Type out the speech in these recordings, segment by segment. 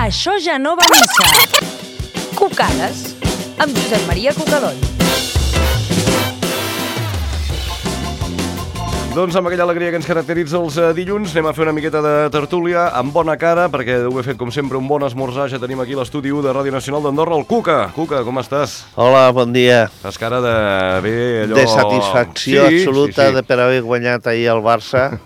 Això ja no va a missa. Cucades, amb Josep Maria Cucadoll. Doncs amb aquella alegria que ens caracteritza els dilluns anem a fer una miqueta de tertúlia amb bona cara, perquè ho he fet com sempre un bon esmorzar. Ja tenim aquí l'estudi 1 de Ràdio Nacional d'Andorra, el Cuca. Cuca, com estàs? Hola, bon dia. Fas cara de bé, allò... De satisfacció absoluta sí. Per haver guanyat ahir el Barça.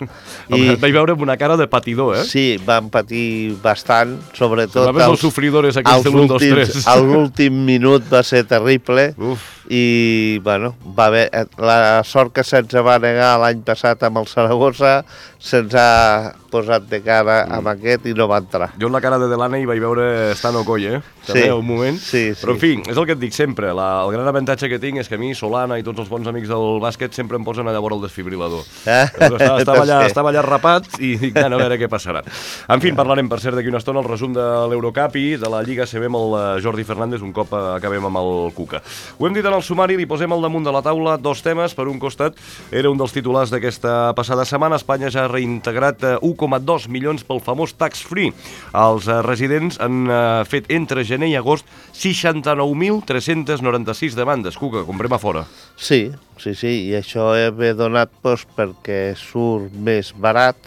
Et vaig veure amb una cara de patidor, eh? Sí, vam patir bastant, sobretot... Els sofridores aquells de l'1, 2, 3. L'últim minut va ser terrible. Uf. I, bueno, va haver... La sort que se'ns va negar l'any passat amb el Saragossa se'ns ha posat de cara amb aquest i no va entrar. Jo en la cara de Delaney vaig veure Stano Coll, també, un moment. Sí. Però, en fi, és el que et dic sempre. El gran avantatge que tinc és que a mi, Solana i tots els bons amics del bàsquet sempre em posen a llavors el desfibrilador. Estava allà rapat i dic, a veure què passarà. En fi, parlarem, per cert, d'aquí una estona el resum de l'Eurocup i de la Lliga CB amb el Jordi Fernández un cop acabem amb el Cuca. Ho hem dit en el sumari, li posem al damunt de la taula dos temes. Per un costat, era un dels titulars d'aquesta passada setmana. Espanya ja ha reintegrat 1,2 milions pel famós tax-free. Els residents han fet entre gener i agost 69.396 demandes. Cuca, comprem a fora. Sí, i això ve donat perquè surt més barat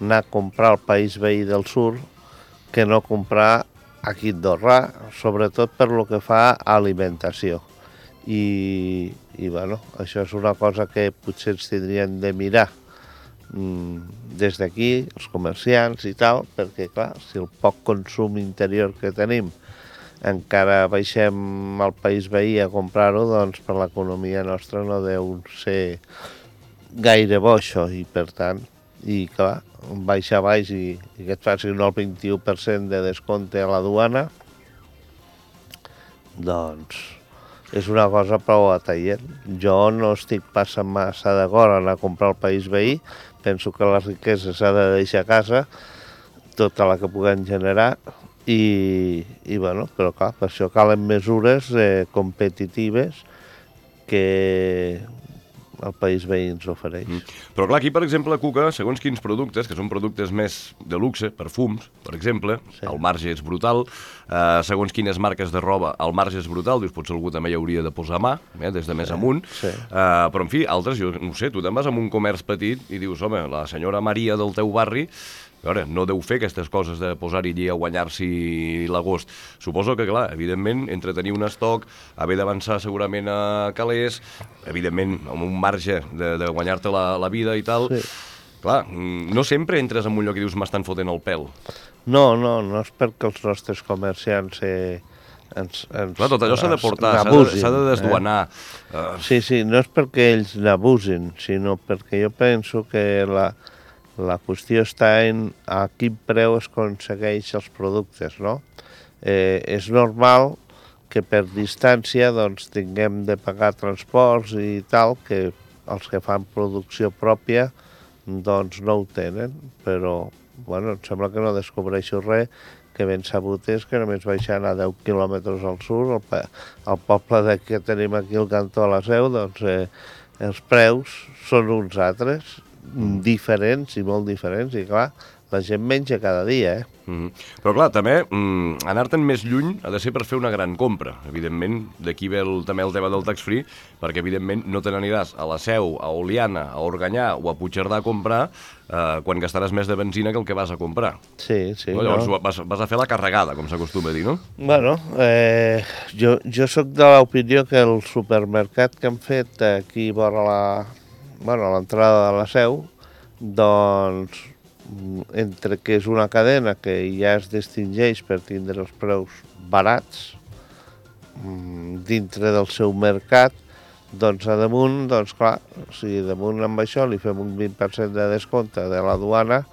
anar a comprar al país veí del sud que no comprar aquí a Andorra, sobretot per lo que fa a alimentació. I bueno, això és una cosa que potser ens tindrien de mirar des d'aquí, els comerciants i tal, perquè clar, si el poc consum interior que tenim encara baixem al país veí a comprar-ho, doncs per l'economia nostra no deu ser gaire bo això, i per tant, i clar, baixa baix i que et facin el 21% de descompte a la duana, doncs és una cosa prou atraient. Jo no estic passant massa d'acord a anar a comprar al país veí, penso que la riquesa s'ha de deixar a casa, tota la que puguem generar, i bueno, però clar, per això calen mesures competitives que el país veí ens ofereix. Però clar, aquí, per exemple, Cuca, segons quins productes, que són productes més de luxe, perfums, per exemple, sí. El marge és brutal, segons quines marques de roba, el marge és brutal, dius, potser algú també hi hauria de posar mà, des de més amunt, sí. Però en fi, altres, jo no sé, tu te'n vas a un comerç petit i dius, home, la senyora Maria del teu barri, a veure, no deu fer aquestes coses de posar-hi allí a guanyar-s'hi l'agost. Suposo que, clar, evidentment, entre tenir un estoc, haver d'avançar segurament a calés, evidentment, amb un marge de guanyar-te la vida i tal, sí. Clar, no sempre entres en un lloc i dius m'estan fotent el pèl. No és perquè els nostres comerciants clar, tot allò s'ha de portar, s'ha de desduanar. Sí, no és perquè ells n'abusin, sinó perquè jo penso que la qüestió està en a quin preu es aconsegueix els productes, no? És normal que per distància doncs, tinguem de pagar transports i tal, que els que fan producció pròpia doncs no ho tenen, però bueno, em sembla que no descobreixo res, que ben sabut és que només baixant a 10 quilòmetres al sud, al poble que tenim aquí al cantó a la Seu, doncs els preus són uns altres, diferents i molt diferents, i clar, la gent menja cada dia, Però clar, també anar-te'n més lluny ha de ser per fer una gran compra. Evidentment, d'aquí ve també el tema del tax-free, perquè evidentment no te n'aniràs a la Seu, a Oliana, a Organyà o a Puigcerdà a comprar quan gastaràs més de benzina que el que vas a comprar. Sí. No? Llavors vas a fer la carregada, com s'acostuma a dir, no? Bueno, jo sóc de l'opinió que el supermercat que han fet aquí vora l'entrada de la Seu, doncs entre que és una cadena que ja es distingeix per tindre els preus barats dintre del seu mercat, doncs a damunt, doncs clar, si damunt amb això li fem un 20% de descompte de la duana,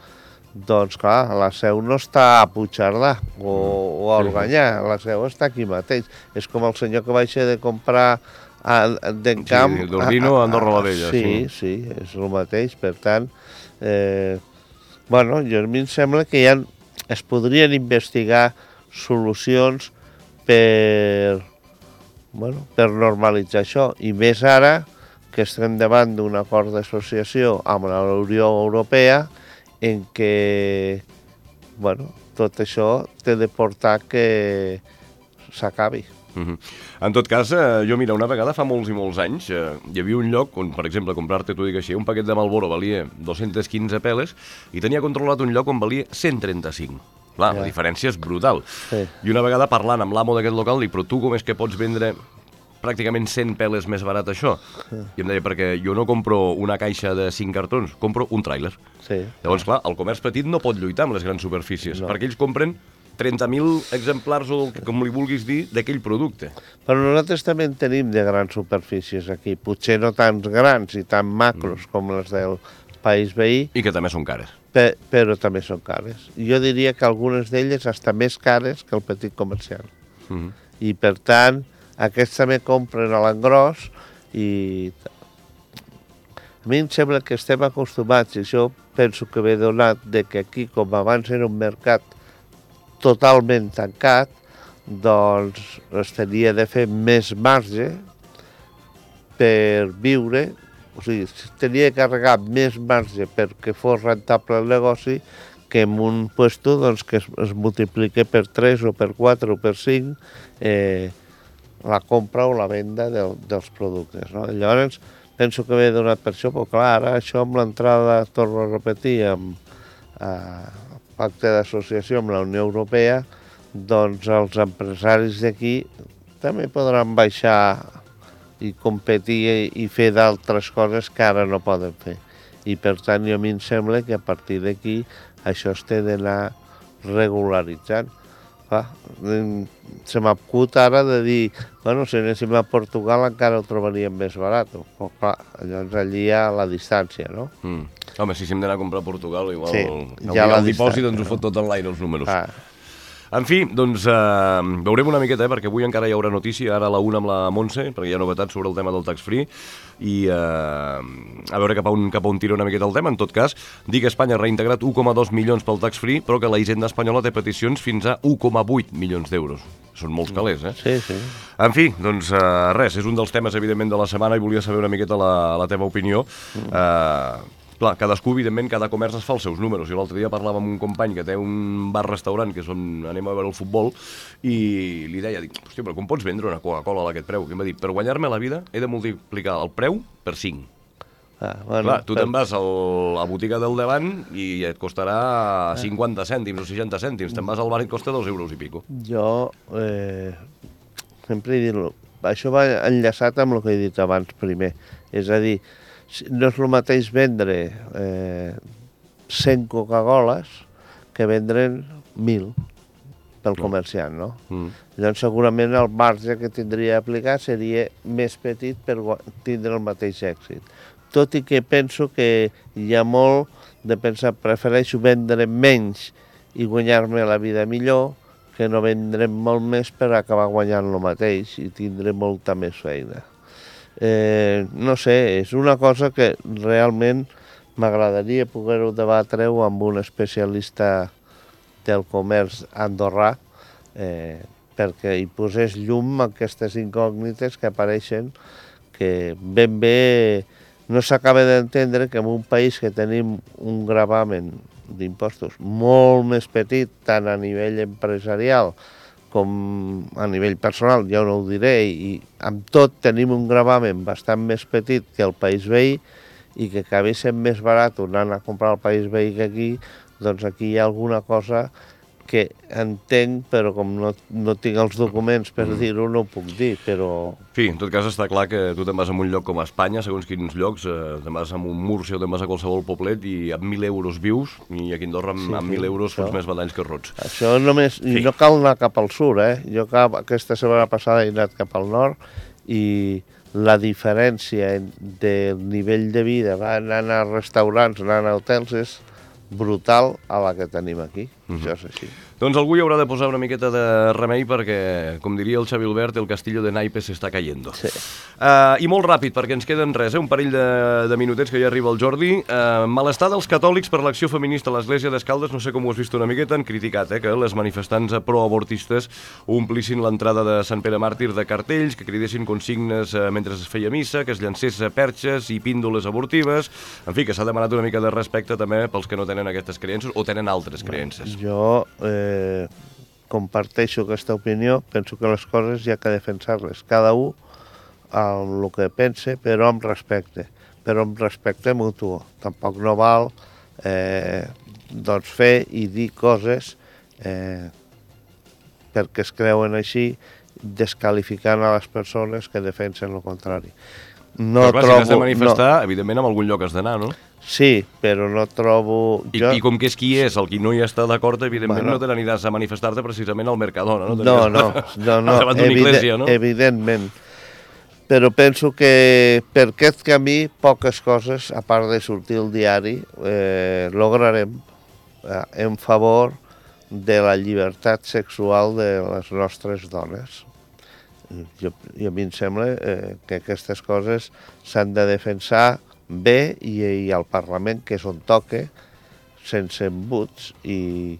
doncs clar, la Seu no està a Puigcerdà o a Organyà, la Seu està aquí mateix. És com el senyor que baixa de comprar d'Encamp... Sí, d'Ordino a Andorra la Vella. Sí, és el mateix, per tant... Bueno, a mi em sembla que es podrien investigar solucions per normalitzar això, i més ara que estem davant d'un acord d'associació amb la Unió Europea en què bueno, tot això té de portar que s'acabi. En tot cas, jo, mira, una vegada fa molts i molts anys hi havia un lloc on, per exemple, comprar-te, t'ho dic així, un paquet de Marlboro valia 215 peles i tenia controlat un lloc on valia 135. Clar, la diferència és brutal. Sí. I una vegada parlant amb l'amo d'aquest local, dic, però tu com és que pots vendre pràcticament 100 peles més barat això? I em deia, perquè jo no compro una caixa de 5 cartons, compro un tràiler. Sí. Llavors, clar, el comerç petit no pot lluitar amb les grans superfícies, perquè ells compren 30.000 exemplars, o com li vulguis dir, d'aquell producte. Però nosaltres també en tenim de grans superfícies aquí, potser no tants grans i tan macros com les del país veí. I que també són cares. Però també són cares. Jo diria que algunes d'elles estan més cares que el petit comercial. I per tant, aquests també compren a l'engròs i... A mi em sembla que estem acostumats, i això penso que ve donat de que aquí, com abans era un mercat totalment tancat, doncs es tenia de fer més marge per viure, o sigui, tenia de carregar més marge perquè fos rentable el negoci que en un puesto doncs, que es multiplique per 3 o per 4 o per 5 la compra o la venda dels productes. No? Llavors, penso que ve donat per això, però clar, ara això amb l'entrada, torno a repetir, amb pacte d'associació amb la Unió Europea, doncs els empresaris d'aquí també podran baixar i competir i fer d'altres coses que ara no poden fer. I per tant, a mi em sembla que a partir d'aquí això es té d'anar regularitzant. Se m'acut ara de dir, bueno, si anéssim a Portugal encara ho trobaríem més barat. Però clar, llavors allí hi ha la distància, no? Home, si hem d'anar a comprar a Portugal, igual sí, el dipòsit ens ho fot tot en l'aire, els números. En fi, doncs veurem una miqueta, perquè avui encara hi haurà notícia, ara a la 1 amb la Montse, perquè hi ha novetats sobre el tema del tax-free, i a veure cap a on tira una miqueta el tema. En tot cas, dir que Espanya ha reintegrat 1,2 milions pel tax-free, però que la Hisenda espanyola té peticions fins a 1,8 milions d'euros. Són molts calés, eh? Sí, sí. En fi, doncs res, és un dels temes, evidentment, de la setmana i volia saber una miqueta la teva opinió. Clar, cadascú, evidentment, cada comerç es fa els seus números. Jo l'altre dia parlava amb un company que té un bar-restaurant, que és on anem a veure el futbol, i li deia, hòstia, però com pots vendre una Coca-Cola a aquest preu? I em va dir, per guanyar-me la vida he de multiplicar el preu per 5. Bueno, clar, tu te'n vas a la botiga del davant i et costarà 50 cèntims o 60 cèntims. Te'n vas al bar i et costa 2 euros i pico. Jo sempre he dit, això va enllaçat amb el que he dit abans primer. És a dir, no és el mateix vendre 100 Coca-Coles que vendre'n 1.000 pel comerciant, no? Llavors segurament el marge que tindria a aplicar seria més petit per tindre el mateix èxit. Tot i que penso que hi ha molt de pensar, prefereixo vendre menys i guanyar-me la vida millor que no vendre molt més per acabar guanyant el mateix i tindre molta més feina. No sé, és una cosa que realment m'agradaria poder-ho debatre-ho amb un especialista del comerç andorrà perquè hi posés llum a aquestes incògnites que apareixen que ben bé no s'acaba d'entendre que en un país que tenim un gravamen d'impostos molt més petit, tant a nivell empresarial com a nivell personal, ja no ho diré, i amb tot tenim un gravamen bastant més petit que el país veí i que acabi sent més barat anant a comprar al país veí que aquí, doncs aquí hi ha alguna cosa que entenc, però com no tinc els documents per dir-ho, no ho puc dir, però... En fi, en tot cas està clar que tu te'n vas a un lloc com a Espanya, segons quins llocs, te'n vas a un Múrcia o te'n vas a qualsevol poblet i amb 1.000 euros vius, i aquí a Andorra amb 1.000 euros fots més badalls que rots. Això només... I no cal anar cap al sud, Jo aquesta setmana passada he anat cap al nord i la diferència del nivell de vida, anant a restaurants, anant a hotels, és brutal a la que tenim aquí. Això és així. Doncs algú hi haurà de posar una miqueta de remei perquè, com diria el Xavi Albert, el castillo de naipes s'està cayendo. Sí. I molt ràpid, perquè ens queden res, un parell de minutets que ja arriba el Jordi. Malestar dels catòlics per l'acció feminista a l'Església d'Escaldes, no sé com ho has vist una miqueta, han criticat que les manifestants proavortistes omplissin l'entrada de Sant Pere Màrtir de cartells, que cridessin consignes mentre es feia missa, que es llancés perxes i píndoles abortives, en fi, que s'ha demanat una mica de respecte també pels que no tenen aquestes creences o tenen altres creences. Jo comparteixo aquesta opinió, penso que les coses hi ha que defensar-les, cada un amb el que pense, però amb respecte mutu. Tampoc no val doncs fer i dir coses perquè es creuen així, desqualificant a les persones que defensen el contrari. No però clar, si has de manifestar, evidentment en algun lloc has d'anar, no? Sí, però no trobo... I com que és qui és el qui no hi està d'acord, evidentment no te n'aniràs a manifestar-te precisament al Mercadona, no? No, evidentment. Però penso que per aquest camí poques coses, a part de sortir al diari, lograrem en favor de la llibertat sexual de les nostres dones. I a mi em sembla que aquestes coses s'han de defensar bé i al Parlament, que és on toca, sense embuts, i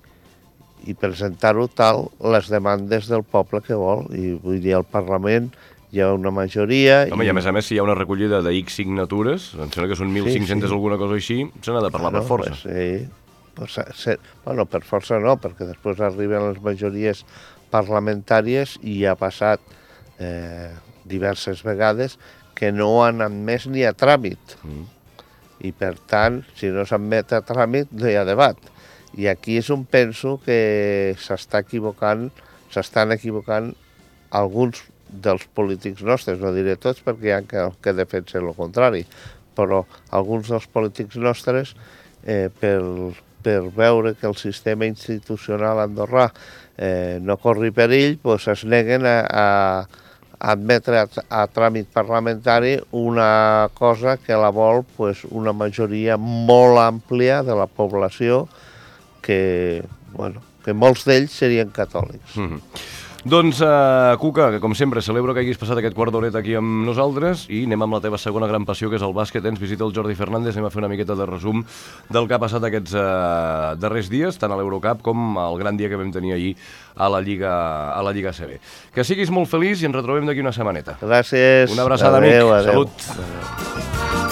presentar-ho tal les demandes del poble que vol. I vull dir, al Parlament hi ha una majoria... Home, i a més, si hi ha una recollida de X signatures, em sembla que són 1.500 alguna cosa així, se n'ha de parlar per força. Bueno, per força no, perquè després arriben les majories parlamentàries i ha passat diverses vegades que no han admès ni a tràmit. I per tant, si no s'admet a tràmit, no hi ha debat. I aquí és on penso que s'estan equivocant alguns dels polítics nostres, no diré tots perquè hi ha que defensen el contrari, però alguns dels polítics nostres, per veure que el sistema institucional andorrà no corri perill, doncs es neguen a admetre a tràmit parlamentari una cosa que la vol una majoria molt àmplia de la població que molts d'ells serien catòlics. Doncs, Cuca, que com sempre celebro que hagis passat aquest quart d'horeta aquí amb nosaltres i anem amb la teva segona gran passió, que és el bàsquet. Ens visita el Jordi Fernández, anem a fer una miqueta de resum del que ha passat aquests darrers dies, tant a l'Eurocup com el gran dia que vam tenir ahir a la Lliga ACB. Que siguis molt feliç i ens retrobem d'aquí una setmaneta. Gràcies. Una abraçada, amic. Adéu. Salut.